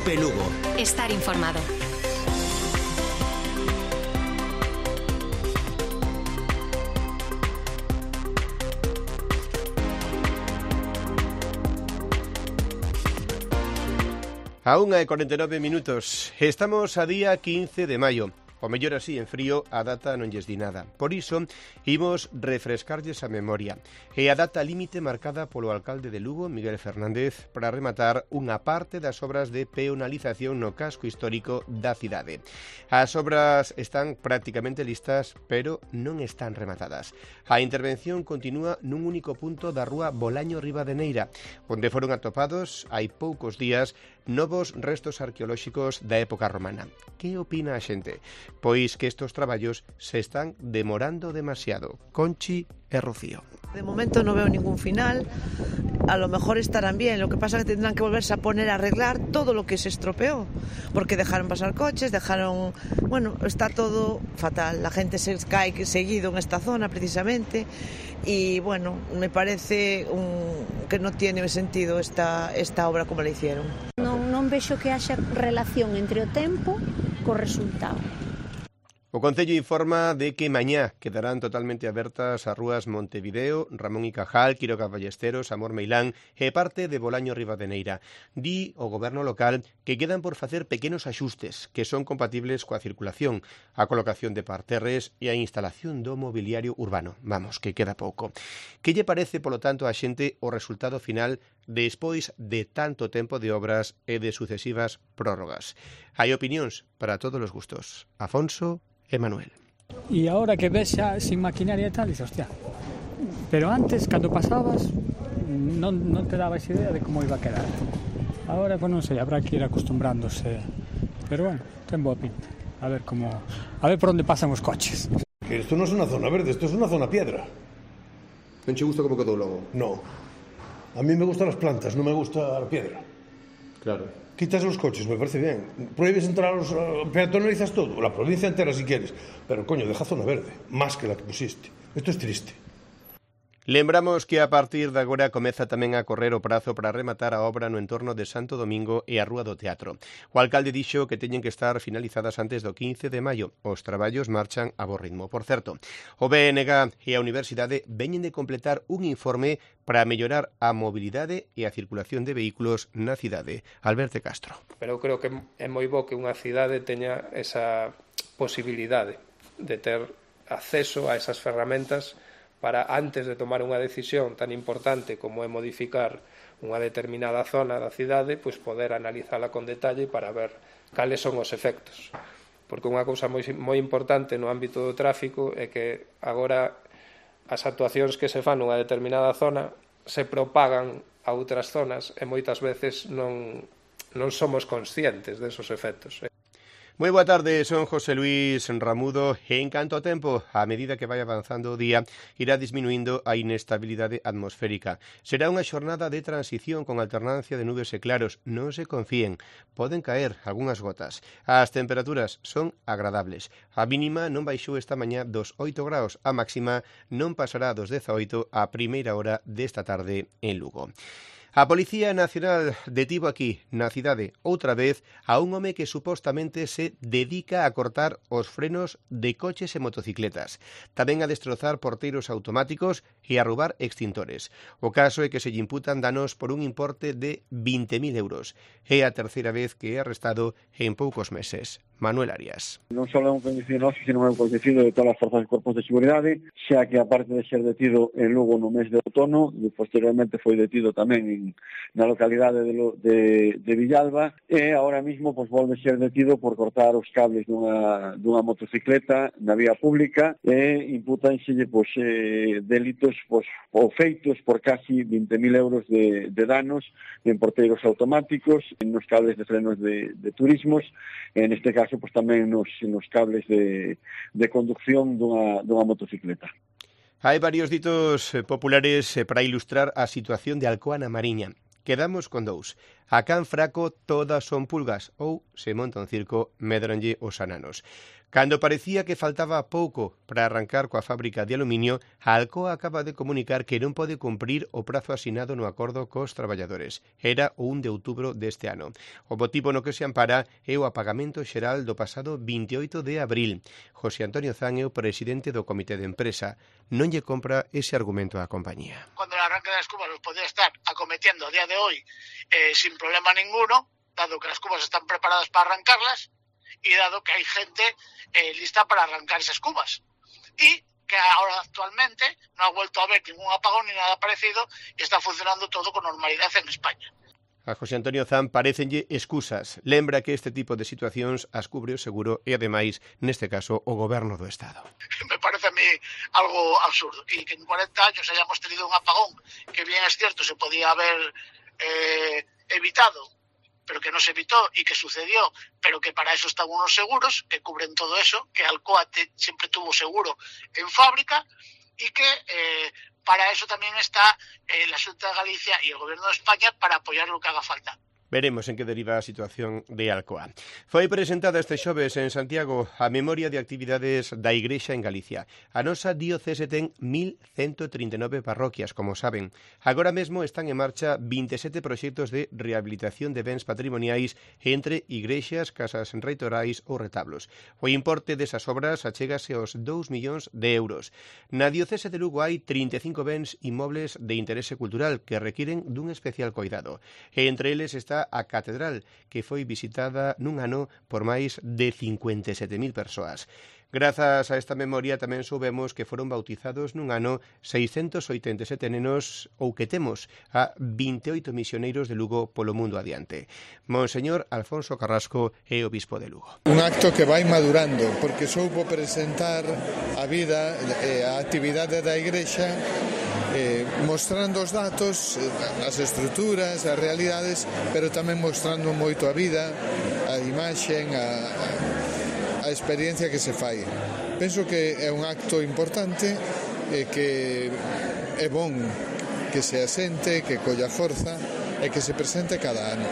Cope Lugo. Estar informado. A 1:49. Estamos a día 15 de maio. O mellor así, en frío, a data non lles di nada. Por iso, imos refrescarlles a memoria. E a data límite marcada polo alcalde de Lugo, Miguel Fernández, para rematar unha parte das obras de peonalización no casco histórico da cidade. As obras están prácticamente listas, pero non están rematadas. A intervención continúa nun único punto da rúa Bolaño Rivadeneira, onde foron atopados hai poucos días novos restos arqueolóxicos da época romana. Que opina a xente? Pois que estos traballos se están demorando demasiado. Conchi e Rocío. De momento no veo ningún final. A lo mejor estarán bien, lo que pasa es que tendrán que volverse a poner a arreglar todo lo que se estropeó, porque dejaron pasar coches, bueno, está todo fatal, la gente se cae seguido en esta zona precisamente y bueno, me parece que no tiene sentido esta obra como la hicieron. Non vexo que haxa relación entre o tempo co resultado. O Concello informa de que mañá quedarán totalmente abertas as rúas Montevideo, Ramón y Cajal, Quiroga Ballesteros, Amor Meilán e parte de Bolaño Rivadeneira. Di o goberno local que quedan por facer pequenos axustes que son compatibles coa circulación, a colocación de parterres e a instalación do mobiliario urbano. Vamos, que queda pouco. Que lle parece, polo tanto, a xente o resultado final despois de tanto tempo de obras e de sucesivas prórrogas? Hai opinións para todos os gustos. Afonso e Manuel. E agora que ves xa sin maquinaria e tal, dices, hostia, pero antes, cando pasabas, non te dabas idea de como iba a quedar. Agora, pues non sei, habrá que ir acostumbrándose, pero bueno, ten boa pinta. A ver por onde pasan os coches. Que isto non é unha zona verde, isto é unha zona piedra. Non che gusta como quedou logo? No. A mí me gustan as plantas, non me gusta a piedra. Claro. Quitas los coches, me parece bien. Prohíbes entrar a los... peatonalizas todo, la provincia entera si quieres. Pero, coño, deja zona verde, más que la que pusiste. Esto es triste. Lembramos que a partir de agora comeza tamén a correr o prazo para rematar a obra no entorno de Santo Domingo e a Rúa do Teatro. O alcalde dixo que teñen que estar finalizadas antes do 15 de maio. Os traballos marchan a bo ritmo. Por certo, o BNG e a Universidade veñen de completar un informe para mellorar a mobilidade e a circulación de vehículos na cidade. Alberto Castro. Pero eu creo que é moi bo que unha cidade teña esa posibilidade de ter acceso a esas ferramentas para, antes de tomar unha decisión tan importante como é modificar unha determinada zona da cidade, pois poder analizala con detalle para ver cales son os efectos. Porque unha cousa moi importante no ámbito do tráfico é que agora as actuacións que se fan nunha determinada zona se propagan a outras zonas e moitas veces non somos conscientes desos efectos. Moi boa tarde, son José Luis Ramudo e en canto ao tempo, a medida que vai avanzando o día, irá disminuindo a inestabilidade atmosférica. Será unha xornada de transición con alternancia de nubes e claros. Non se confíen, poden caer algunhas gotas. As temperaturas son agradables. A mínima non baixou esta mañá dos 8 graus, a máxima non pasará dos 18 a primeira hora desta tarde en Lugo. A Policía Nacional detivo aquí, na cidade, outra vez, a un home que supostamente se dedica a cortar os frenos de coches e motocicletas, tamén a destrozar porteiros automáticos e a roubar extintores. O caso é que se lle imputan danos por un importe de 20.000 euros. É a terceira vez que é arrestado en poucos meses. Manuel Arias. Non só é un coñecido noso, sino é un coñecido de todas as forzas e corpos de seguridade, xa que aparte de ser detido en Lugo no mes de outono, e posteriormente foi detido tamén na localidade de Villalba, e agora mismo volve ser detido por cortar os cables dunha motocicleta na vía pública e impútanselle delitos ou feitos por casi 20.000 euros de danos en porteiros automáticos, nos cables de frenos de turismos, en este caso tamén nos cables de conducción dunha motocicleta. Hai varios ditos populares para ilustrar a situación de Alcoa na Mariña. Quedamos con dous. A can fraco todas son pulgas ou, se monta un circo, medranlle os ananos. Cando parecía que faltaba pouco para arrancar coa fábrica de aluminio, a Alcoa acaba de comunicar que non pode cumprir o prazo asinado no acordo cos traballadores. Era o 1 de outubro deste ano. O motivo no que se ampara é o apagamento xeral do pasado 28 de abril. José Antonio Zan é o presidente do comité de empresa. Non lle compra ese argumento á compañía. Cuando el arranque das cubas los podría estar acometiendo a día de hoy sin problema ninguno, dado que las cubas están preparadas para arrancarlas, y dado que hay gente lista para arrancar esas cubas. Y que ahora actualmente no ha vuelto a haber ningún apagón ni nada parecido y está funcionando todo con normalidad en España. A José Antonio Zan parecenlle excusas. Lembra que este tipo de situacións as cubre o seguro e, ademais, neste caso, o Goberno do Estado. Me parece a mí algo absurdo. Y que en 40 años hayamos tenido un apagón que, bien es cierto, se podía haber evitado, pero que no se evitó y que sucedió, pero que para eso están unos seguros que cubren todo eso, que Alcoa siempre tuvo seguro en fábrica y que para eso también está la Xunta de Galicia y el Gobierno de España para apoyar lo que haga falta. Veremos en que deriva a situación de Alcoa. Foi presentada este xoves en Santiago a memoria de actividades da Igrexa en Galicia. A nosa diocese ten 1.139 parroquias, como saben. Agora mesmo están en marcha 27 proxectos de rehabilitación de bens patrimoniais entre igrexas, casas reitorais ou retablos. O importe desas obras achégase aos 2 millóns de euros. Na diocese de Lugo hai 35 bens inmobles de interese cultural que requiren dun especial cuidado. E entre eles está a Catedral, que foi visitada nun ano por máis de 57.000 persoas. Grazas a esta memoria tamén soubemos que foron bautizados nun ano 687 nenos ou que temos a 28 misioneiros de Lugo polo mundo adiante. Monseñor Alfonso Carrasco é obispo de Lugo. Un acto que vai madurando porque soubo presentar a vida e a actividade da Igrexa mostrando os datos, as estruturas, as realidades, pero tamén mostrando moito a vida, a imaxen, a experiencia que se fai. Penso que é un acto importante e que é bon que se asente, que colla forza e que se presente cada ano.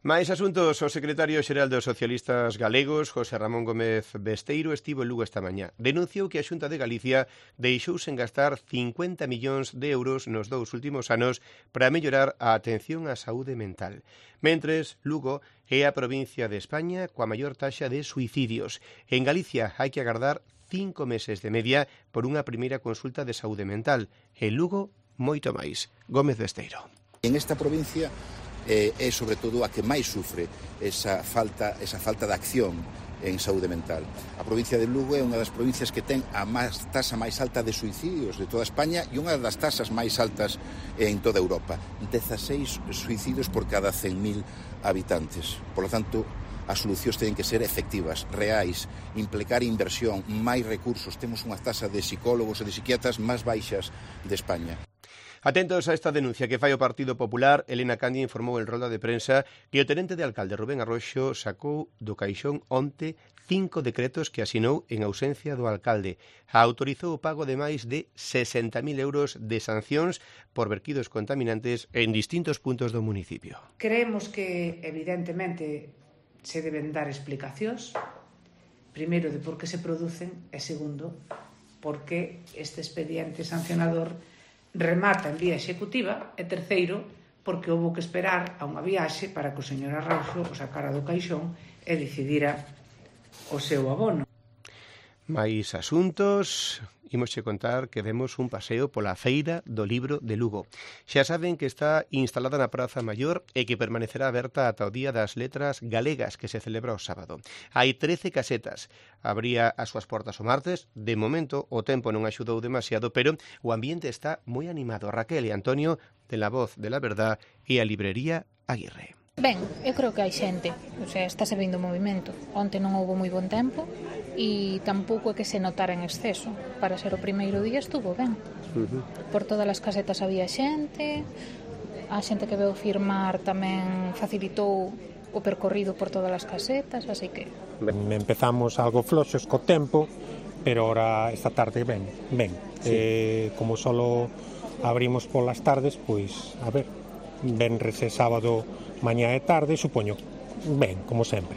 Máis asuntos, o secretario xeral dos socialistas galegos, José Ramón Gómez Besteiro, estivo en Lugo esta mañá. Denunciou que a Xunta de Galicia deixou sen gastar 50 millóns de euros nos 2 últimos anos para mellorar a atención á saúde mental. Mentres, Lugo é a provincia de España coa maior taxa de suicidios. En Galicia hai que agardar 5 meses de media por unha primeira consulta de saúde mental. En Lugo, moito máis. Gómez Besteiro. En esta provincia é sobre todo a que máis sufre esa falta de acción en saúde mental. A provincia de Lugo é unha das provincias que ten a tasa máis alta de suicidios de toda España e unha das tasas máis altas en toda Europa. 16 suicidios por cada 100.000 habitantes. Por lo tanto, as solucións teñen que ser efectivas, reais, implicar inversión, máis recursos. Temos unha tasa de psicólogos e de psiquiatras máis baixas de España. Atentos a esta denuncia que fai o Partido Popular, Elena Candia informou en rolda de prensa que o tenente de alcalde Rubén Arroxo sacou do caixón onte 5 decretos que asinou en ausencia do alcalde. Autorizou o pago de máis de 60.000 euros de sancións por vertidos contaminantes en distintos puntos do municipio. Creemos que, evidentemente, se deben dar explicacións, primeiro, de por que se producen, e segundo, por que este expediente sancionador remata en vía executiva, e terceiro, porque houbo que esperar a unha viaxe para que o señor Arroxo o sacara do caixón e decidira o seu abono. Máis asuntos, imosche contar que demos un paseo pola Feira do Libro de Lugo. Xa saben que está instalada na Praza Maior e que permanecerá aberta ata o Día das Letras Galegas, que se celebra o sábado. Hai 13 casetas. Abría as súas portas o martes. De momento, o tempo non axudou demasiado, pero o ambiente está moi animado. Raquel e Antonio, de La Voz de la Verdad e a librería Aguirre. Ben, eu creo que hai xente, o sea, estáse vendo movimento. Onte non houbo moi bon tempo e tampouco é que se notara en exceso. Para ser o primeiro día estuvo ben. Por todas as casetas había xente, a xente que veu firmar tamén facilitou o percorrido por todas as casetas, así que... Empezamos algo floxos co tempo, pero ahora esta tarde ben. Sí. Como solo abrimos polas tardes, pois, a ver, venres e sábado, mañá e tarde, supoño, ben, como sempre.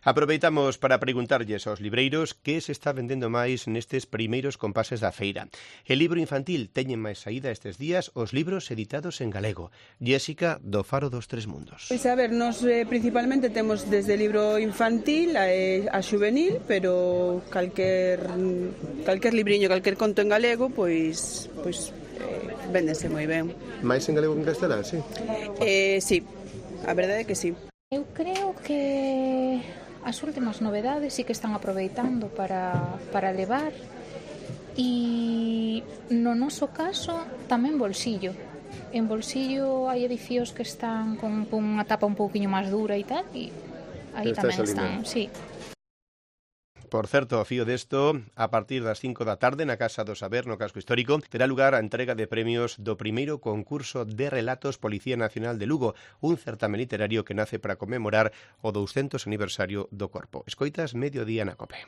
Aproveitamos para preguntarlles aos libreiros que se está vendendo máis nestes primeiros compases da feira. El libro infantil teñen máis saída estes días os libros editados en galego. Jéssica, do Faro dos Tres Mundos. Pois a ver, nos principalmente temos desde libro infantil a xuvenil, pero calquer libriño, calquer conto en galego, pois véndese moi ben. Mais en galego que en castelán, sí? Sí, a verdade é que sí. Eu creo que as últimas novedades sí que están aproveitando para levar, e no noso caso tamén bolsillo. En bolsillo hai edicións que están con unha tapa un pouquiño máis dura e tal, e aí tamén están, sí. Por certo, ao fío desto, a partir das 5 da tarde na Casa do Saber, no Casco Histórico, terá lugar a entrega de premios do primeiro concurso de relatos Policía Nacional de Lugo, un certame literario que nace para conmemorar o 200 aniversario do Corpo. Escoitas Mediodía na COPE.